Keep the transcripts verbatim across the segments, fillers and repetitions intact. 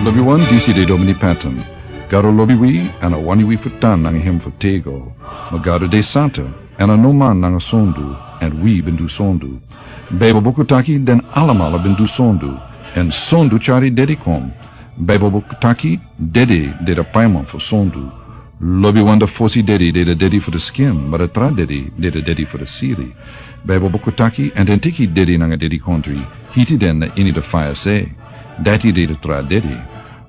Lobiwan, disi de Domini Patton. Gado lobi wi, èn a wani wi fu tan nanga hem fu tego. Ma Gado de santa, èn a no man nanga sondu, èn wi ben du sondu. Baibel buku taki den alamala ben du sondu, èn sondu tyari dedi kon. Baibel buku taki dedi de de paiman fu sondu. Lobiwan, da fosi dedi de de dedi fu de skin, ma da tra dedi de de dedi fu de siri. Baibel buku taki, èn den teki dedi nanga dedi kontri, hiti den na ini de faya se. Dati de de tra dedi.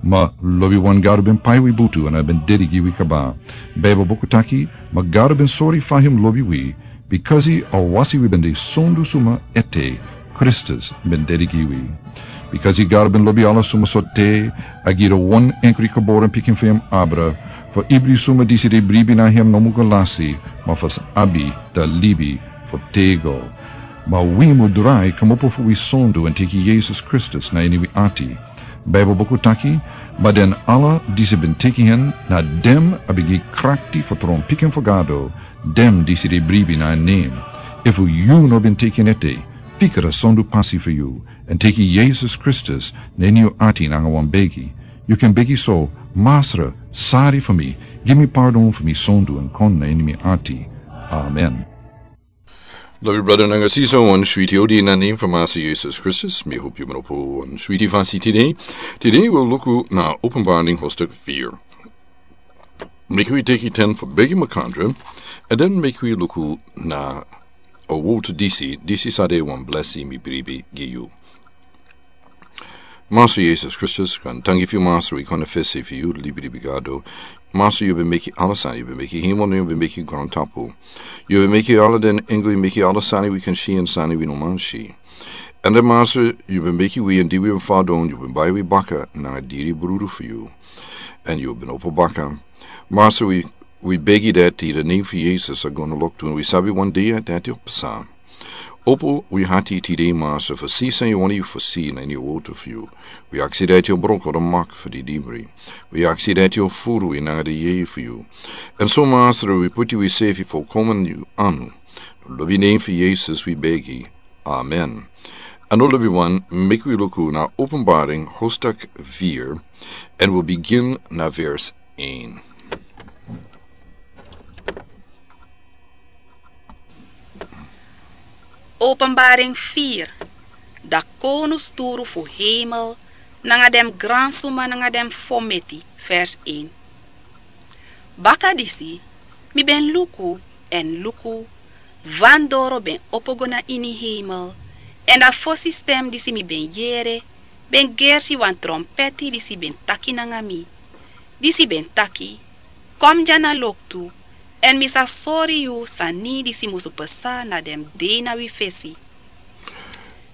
Ma lobiwan, Gado ben pai wi butu èn a ben dedi gi wi kaba. Baibel buku taki, ma Gado ben sori fa hem lobi wi, bikasi a wasi wi ben de sondu suma ete, Kristus ben dedi gi wi. Bikasi Gado ben lobi ala suma sortu, a gi de wan enkri geboren pikin fu hem abra, fu ibri suma disi de bribi na hem no mu go lasi, ma fu abi da libi fu tego. Ma wi mu drai kmopo fu wi sondu èn teki Yesus Kristus na ini wi ati. Baibel buku taki, ma den ala disi ben teki hen, na den a ben gi krakti fu tron pikin fu Gado, den disi de bribi na en nen. Efu yu no ben teki en ete, fika da sondu pasi fu yu, èn teki Yesus Kristus na ini yu ati nanga wan begi. Yu kan begi so: Masra, sari fu mi, gi mi pardon fu mi sondu èn kon na ini mi ati. Amen. Lobi brada nanga sisa, wan switi odi na nen fu Masra Yesus Kristus. Mi hopu yu ben opo wan switi fasi tide. Tide wi o luku na Openbaring hoofdstuk vier. Meki wi teki ten fu begi makandra, èn den meki wi luku na a wowtu disi, disi sa de wan blesi mi bribi gi yu. Masra Yesus Kristus, kan tangi fu yu, Masra, wi kon na fesi fu yu, libi, libi Gado. Masra, yu ben meki ala sani, yu ben meki hemel, yu ben meki grontapu. Yu ben meki ala den engo, yu meki ala sani wi kan si èn sani wi no man si. Èn den, Masra, yu ben meki wi, èn di wi ben fadon, yu ben bai wi baka nanga diri brudu fu yu. Èn yu ben opo baka. Masra, wi, wi begi dati na nen fu Yesus a go na loktu, èn wi sabi wan dei dati o pasa. Opo wi ati tide, Masra, fu si san yu wani fu si na ini a wowtu fu yu. Wi aksi dati yu o broko da mak fu di dibri. Wi aksi dati yu o furu wi nanga di yeye fu yu. Èn so, Masra, wi puti wisefi folkomen ini yu anu. Lobi nen fu Yesus wi begi. Amen. Èn lobiwan, meki wi luku na Openbaring hoofdstuk vier, èn wi o bigin na vers één. Openbaring vier. Da kownu sturu fu hemel, nanga den gransuma nanga den fometi, vers één. Baka disi, mi ben luku, èn luku, wan doro ben opo go na ini hemel, èn da fosi stem disi mi ben yere, ben gersi wan trompeti disi ben taki nanga mi. Disi ben taki: Kon dya na loktu, èn mi sa sori yu sani disi musu pasa na den dei na wi fesi.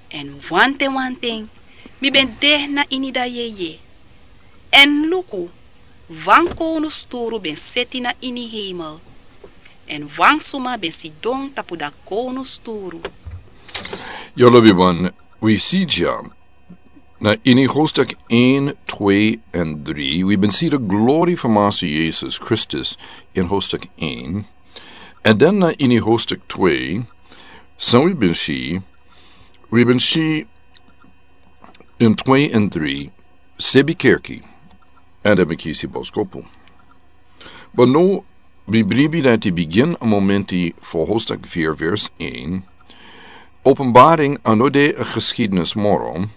Èn wanten wanten, mi ben de na ini da yeye. Èn luku, wan kownu sturu ben seti na ini hemel. Èn wan suma ben sidon tapu da kownu sturu. Yu lobiwan, wi si dya na ini hoofdstuk één, twee en drie, wi ben si de glori fu Masra Yesus Kristus in hoofdstuk één. Èn den na ini hoofdstuk twee, san wi ben si, wi ben si in twee en drie, sebi kerki, èn den ben kisi boskopu. Ma now, mi bribi dati bigin a momenti fu hoofdstuk vier vers één. Openbaring a no de a geschiedenis moro,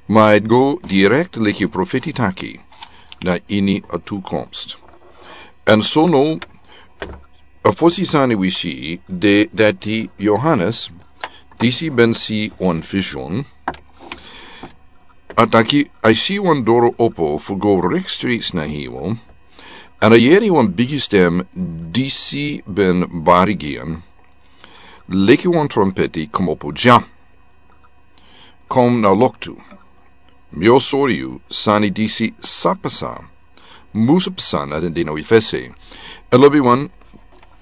ma a e go direct leki profeti taki na ini a toekomst. Èn so now, a fosi sani wi si de dati Johannes, disi ben si wan vision, a taki a si wan doro opo fu go rechtstreeks na hemel, èn a yere wan bigi stem disi ben bari gi en, leki wan trompeti: Komopo dya. Kon na loktu. Mi o sori yu sani disi sa pasa, musu pasa na den dei na wi fesi. Èn lobiwan,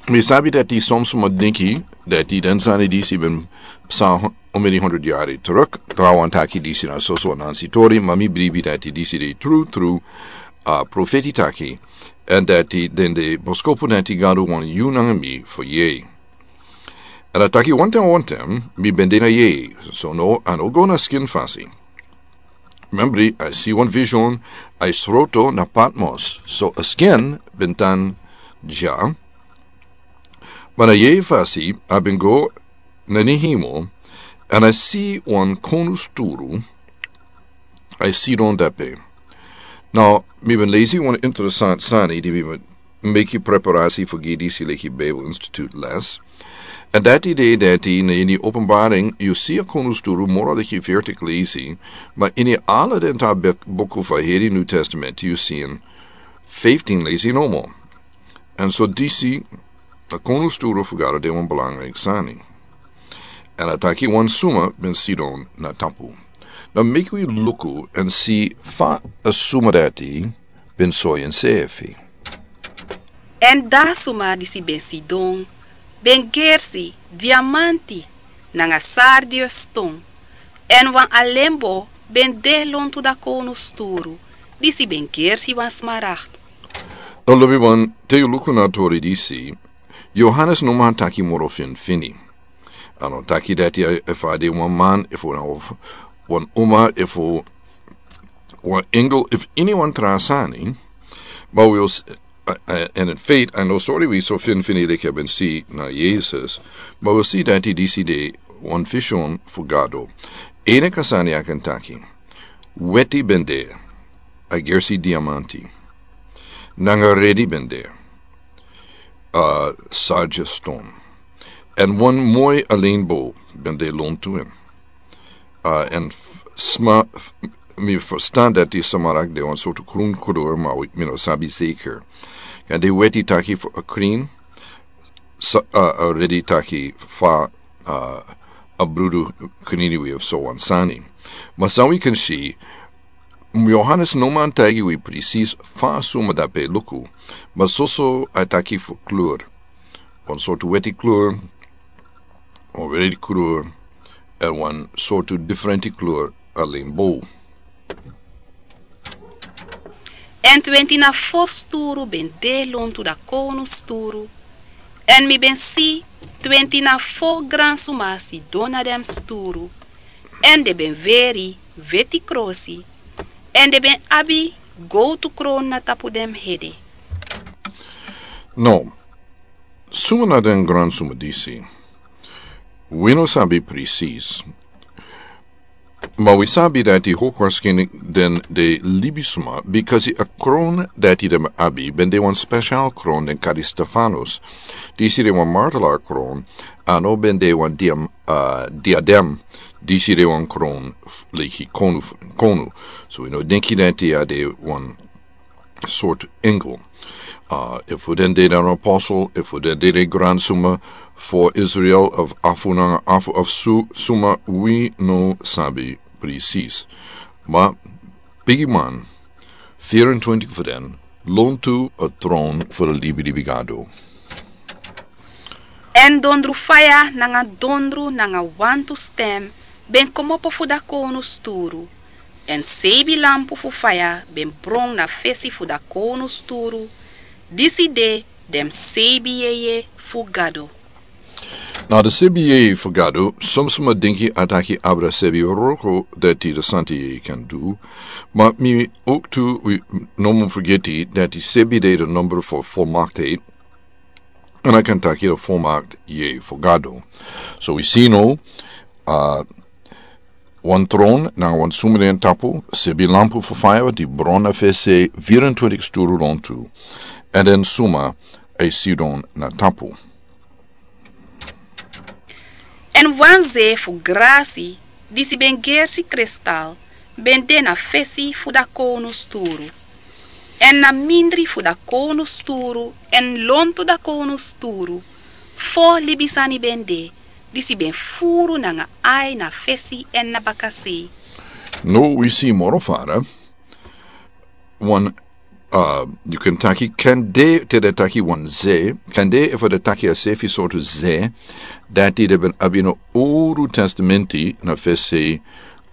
mi sabi dati son suma dinki dati den sani disi ben pasa omeni hondro yari teruk. Trawan taki disi na soso Anansi tori, ma mi bribi dati disi de tru tru, a profeti taki, èn dati den de boskopu dati Gado wani yu nanga mi fu yere. Èn a taki wanten wanten, mi ben de na yeye, so now a no go na skin fasi. Membri, a e si wan vision, a e sroto na Patmos. So a skin ben tan dya. Ma na yeye fasi a ben go na ni himo, èn a e si wan konu sturu a e sidon dape. Now, mi ben lesi wan interesant sani di mi ben meki preparasi fu gi disi leki Bible Institute les. Èn dati de dati na ini Openbaring yu si a konu sturu moro leki vertik lesi, ma ini ala den ta bek-, buku fu heri New Testament yu si en fifteen lesi nomo. Èn so disi a konu sturu fu Gado de wan belangrijk sani. Èn a taki wan suma ben sidon na tapu. Now meki wi luku èn si fa a suma dati ben soi ensefi. Èn a suma disi ben sidon ben gersi diamanti nanga sardius ston, èn wan alembo ben de lontu a konu sturu, disi ben gersi wan smaragd. Now lobi wan, te yu luku na a tori disi, Yohanes no man taki moro finfini. A no taki dati a, efu a de wan man, efu na of wan uma, efu wan engel, efu ini wan tra sani. Ma wi o s-, a, a, èn in feite a no sori wi so finfini leki a ben si na Yesus. Ma wi o si dati disi de wan vision fu Gado. Enke sani a kan taki. Weti ben de, a gersi diamanti. Nanga redi ben de, a sardius ston. Èn wan moi alembo ben de lontu en. A, èn f-, sma-, f-, mi ferstan dati smaragd de wan sortu krun kleur, ma wi, mi no sabi zeker. Èn den weti taki fu a krin, sa-, a, a redi taki fa, a, a brudu krini wi of so wan sani. Ma san wi kan si, Yohanes no man taigi wi presis fa a suma dape luku, ma soso a taki fu kleur. Wan sortu weti kleur, wan redi kleur, èn wan sortu diferenti kleur alembo. Èn twenti na fo sturu ben de lontu a konu sturu. Èn mi ben si twenti na fo gran suma sidon na den sturu. Èn den ben weri weti krosi. Èn den ben abi gowtu kron na tapu den ede. No, suma na den gran suma disi? Wi no sabi presis. Ma wi sabi dati hoogwaarschijnlijk den de libisma, bikasi a kron dati den ben abi ben de wan special kron den kari Stefanus. Disi de wan martelaar kron, a no ben de wan diam-, a, diadem, disi de wan kron f-, leki konu f-, konu. So wi no denki dati a de wan sortu engel. A, efu den de den apostel, efu den de den gran suma fu Israel, of afu nanga afu of su-, suma, wi no sabi presis. Ma, bigi man, vierentwintig fu den, lontu a tron fu a libilibi Gado. Èn dondru faya nanga dondru nanga wantu stem ben kmopo fu a konu sturu. Èn seibi lampu fu faya ben bron na fesi fu a konu sturu. Disi de den seibi yeye fu Gado. Na den seibi yeye fu Gado, son suma denki a taki abra seibi wroko dati den santi yeye kan du. Ma mi ook tu wi no mu fergeti dati seibi de den nomber fu volmaaktheid. Èn a kan taki den volmaakt yeye fu Gado. So wi si no, a, wan tron nanga wan suma na en tapu, seibi lampu fu faya di bron na fesi vierentwintig sturu lontu. Èn den suma e sidon na tapu. Èn wan ze fu grasi, disi ben gersi kristal, ben de na fesi fu a konu sturu. Èn na mindri fu a konu sturu, èn lontu a konu sturu, fo libisani ben de, disi ben furu nanga ai na fesi èn na bakasei. No wi si moro fara. Wan, a, yu kan taki, kan de te den taki wan ze, kan de efu den taki a seibi sortu ze, dati den ben abi na Owru Testamenti na fesi,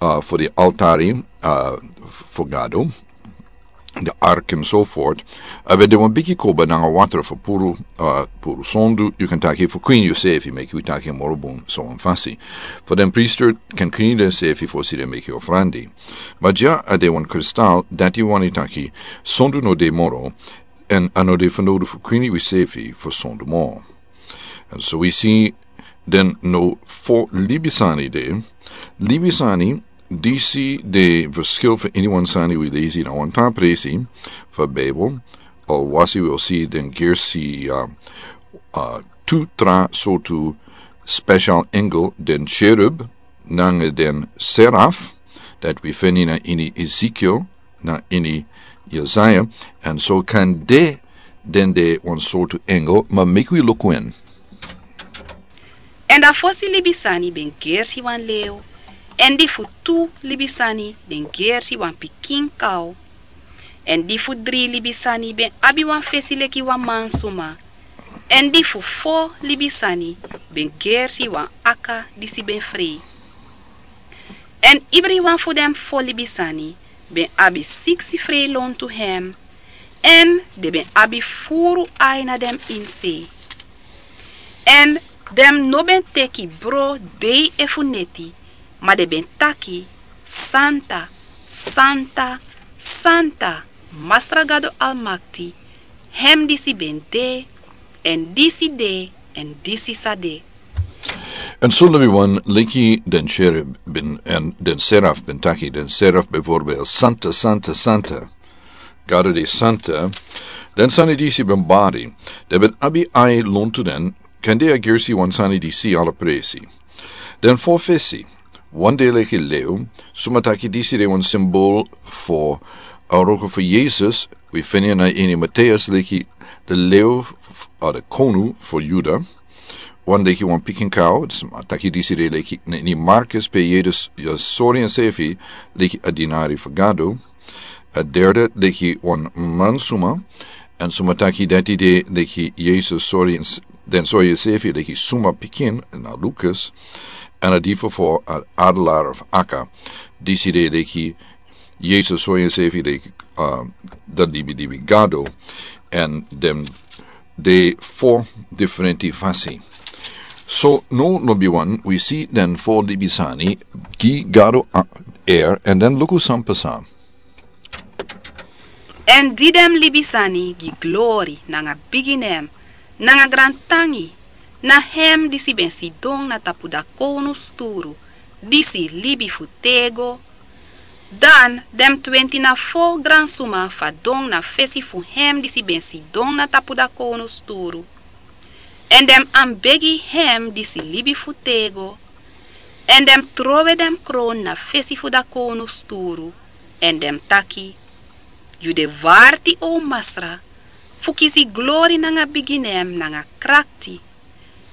a, fu den altari, a, fu Gado. de ark en so fort, a ben de wan bigi koba nanga watra fu puru, a puru sondu, yu kan taki fu kwini yusefi, meki wi taki moro bun so wan fasi. Fu den priester kan kwini den sefi fosi den meki ofrandi. Ma dya a de wan kristal dati wani taki sondu no de moro, en a no de fanowdu fu kwini wisefi fu sondu moro. En so wi si den no fo libisani de. Libisani, disi de verschil fu iniwan sani wi lesi na wan tan presi fu bibel. Al wasi wi o si den gersi, a, a, tu tra sortu special engel, den cherub nanga den seraf, dat wi feni na ini Ezekiel, na ini Yesaya, en so kan de den de wan sortu engel, ma meki wi luku en. En da fosi libisani ben gersi wan lew, en di fu tu libisani ben gersi wan pikin kaw, en di fu dri libisani ben abi wan fesi leki wan mansuma, en di fu fo libisani ben gersi wan aka disi ben frei. En ibriwan fu den fo libisani ben abi siksi frei lontu hem, en den ben abi furu ai na den inse. En den no ben teki bro dei efu neti, ma den ben taki: Santa, santa, santa, Masra Gado Almakti, hem disi ben de, en disi de, en disi sa de. En so lobi wan leki den cherub ben, en den seraf ben taki, den seraf bijvoorbeeld: Santa, santa, santa, Gado de santa. Den sani disi ben bari, den ben abi ai lontu den, kan de a gersi wan sani disi ala presi. Den fo fesi, wan de leki lew, suma taki disi de wan simbol fu a wroko fu Yesus, wi feni na ini Mateus leki de lew, a de konu fu Yuda. Wan leki wan pikin kaw, suma taki disi de leki ni Markus pe Yesus ya sori ensefi leki a dinari fu Gado. A derde leki wan mansuma, en suma taki dati de leki Yesus sori en s-, den sori ensefi leki suma pikin na Lukas, en a difu fu a adelaar of aka, disi de leki Yesus sori ensefi leki, a, da dibi dibi Gado, en den de fo diferenti fasi. So no lobi wan, wi si den fo libisani gi Gado a, er, en den luku san pasa. En di den libisani gi glori nanga bigi nen, nanga grantangi, na hem disi ben sidon na tapu da kownu sturu, disi libi fu tego. Dan den twenti na fo gransuma fadon na fesi fu hem disi ben sidon na tapu da kownu sturu. En den anbegi hem disi libi fu tego. En den trowe den kron na fesi fu da kownu sturu. En den taki: Yu de warti, o Masra, fu kisi glori nanga bigi nen nanga krakti.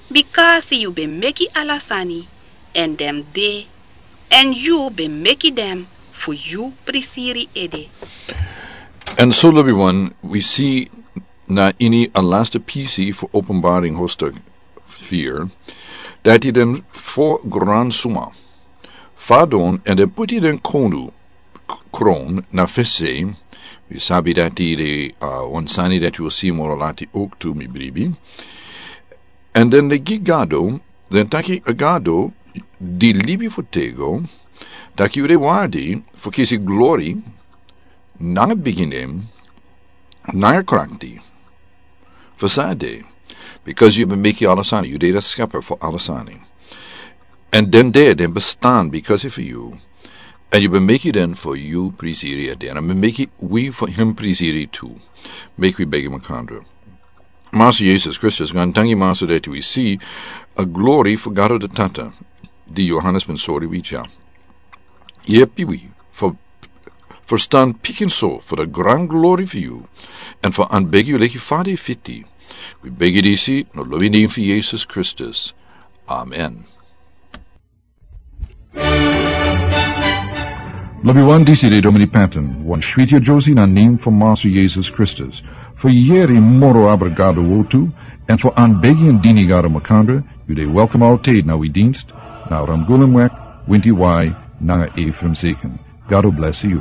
Bikasi yu ben meki ala sani, en den de, en yu ben meki den fu yu prisiri ede. En so lobi wan, wi si na ini a laste pisi fu Openbaring hoofdstuk vier, dati den fo gransuma fadon, en den puti den kownu k-, kron na fesi. Wi sabi dati de, a, wan sani dati wi o si moro lati oktu, mi bribi. En den de gi Gado, den taki a Gado di libi fu tego, taki yu de warti fu kisi glori nanga bigi nen nanga krakti. Fu san a de, bikasi yu ben meki ala sani, yu de da skepper fu ala sani. En den de, den bestan bikasi fu yu. En yu ben meki den fu yu prisiri ede, en a ben meki wi fu hem prisiri tu. Meki wi begi makandra. Masra Yesus Kristus, grantangi Masra, dati wi si a glori fu Gado da Tata, di Yohanes ben sori wi dya. Yepi wi fu ferstan pikinso fu da gran glori fu yu, en fu anbegi yu leki fa yu fiti. Wi begi disi na lobi nen fu Yesus Kristus. Amen. Lobi wan, disi de Domini Patton, wan switi a Josie na nen fu Masra Yesus Kristus. Fu yeri moro abra Gado wortu, en fu anbegi en dini Gado makandra, yu de welkom altijd na wi dienst, na Ramgulumweg, winti wai, nanga Ephraim Zeken. Gado bless yu.